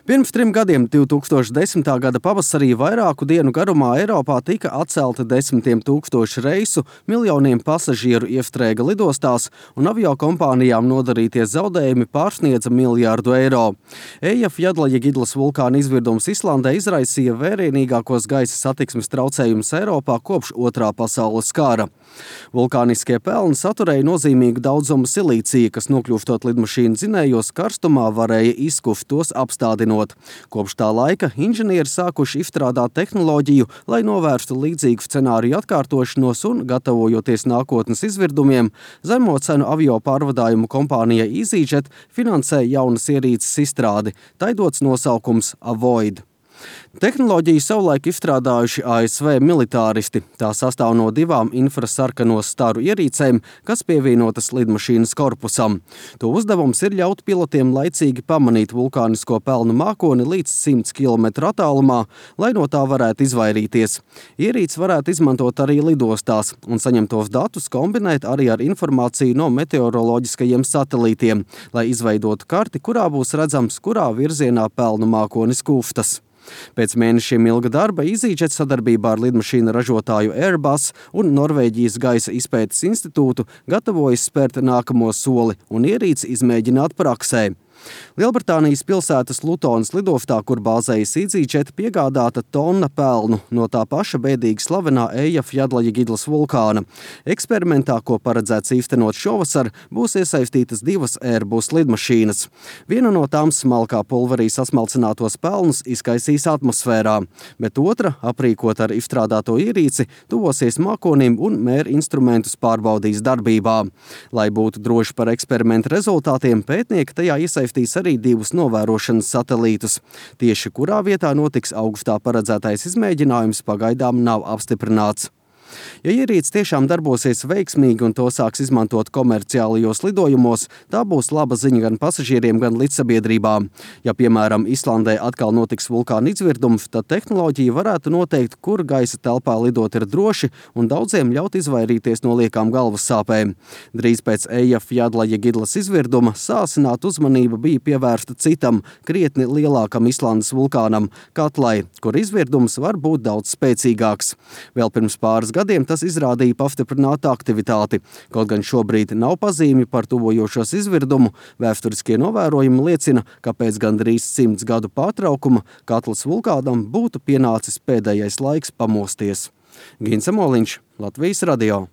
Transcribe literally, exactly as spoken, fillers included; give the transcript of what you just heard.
Pirms trim gadiem, divs tūkstoši desmitā gada pavasarī, vairāku dienu garumā Eiropā tika atcelti desmitiem tūkstošu reisu, miljoniem pasažieru iestrēga lidostās un aviokompānijām nodarītie zaudējumi pārsniedza miljārdu eiro. Eyjafjallajökulls vulkāna izvirdums Islandē izraisīja vērienīgākos gaisa satiksmes traucējumus Eiropā kopš Otrā pasaules kara. Vulkāniskie pelni saturēja nozīmīgu daudzumu silīcija, kas nokļūstot lidmašīnu dzinējos karstumā varēja izkuft tos apstādinot. Kopš tā laika inženieri sākuši izstrādāt tehnoloģiju, lai novērstu līdzīgu scenāriju atkārtošanos un, gatavojoties nākotnes izvirdumiem, zemo cenu avio pārvadājumu kompānija EasyJet finansē jaunas ierīces izstrādi, tai dots nosaukums Avoid. Tehnoloģiju savulaik izstrādājuši A S V militāristi. Tā sastāv no divām infrasarkano staru ierīcēm, kas pievienotas lidmašīnas korpusam. To uzdevums ir ļaut pilotiem laicīgi pamanīt vulkānisko pelnu mākoni līdz simts kilometru attālumā, lai no tā varētu izvairīties. Ierīces varētu izmantot arī lidostās un saņemtos datus kombinēt arī ar informāciju no meteoroloģiskajiem satelītiem, lai izveidotu karti, kurā būs redzams, kurā virzienā pelnu mākonis kūstas. Pēc mēnešiem ilga darba EasyJet sadarbībā ar lidmašīnu ražotāju Airbus un Norvēģijas gaisa izpētes institūtu gatavojas spērt nākamo soli un ierīci izmēģināt praksē. Lielbritānijas pilsētas Lutonas lidostā, kur bāzējas EasyJet, piegādāta tonna pelnu no tā paša bēdīgi slavenā Eyjafjallajökulls vulkāna. Eksperimentā, ko paredzēts īstenot šovasar, būs iesaistītas divas Airbus lidmašīnas. Viena no tām smalkā pulverī sasmalcinātos pelnus izkaisīs atmosfērā, bet otra, aprīkot ar izstrādāto ierīci, tuvosies mākonim un mēra instrumentus pārbaudīs darbībā. Lai būtu droši par eksperimentu rezultātiem, pētnieki tajā iesaistīs arī divus novērošanas satelītus. Tieši kurā vietā notiks augustā paredzētais izmēģinājums, pagaidām nav apstiprināts. Ja ierīce tiešām darbosies veiksmīgi un to sāks izmantot komerciālajos lidojumos, tā būs laba ziņa gan pasažieriem, gan līdzsabiedrībām. Ja, piemēram, Islandē atkal notiks vulkāna izvirdums, tad tehnoloģija varētu noteikt, kur gaisa telpā lidot ir droši un daudziem ļaut izvairīties no liekām galvas sāpēm. Drīz pēc Eyjafjallajökulls izvirduma sāsināta uzmanība bija pievērsta citam, krietni lielākam Islandes vulkānam – Katlai, kur izvirdums var būt daudz spēcīgāks. Vēl pirms pāris gadiem tas izrādīja pastiprinātu aktivitāti. Kaut gan šobrīd nav pazīmi par tuvojošos izvirdumu, vēsturiskie novērojumi liecina, ka pēc gandrīz simts gadu pārtraukuma Katlas vulkānam būtu pienācis pēdējais laiks pamosties. Gins Amoliņš, Latvijas radio.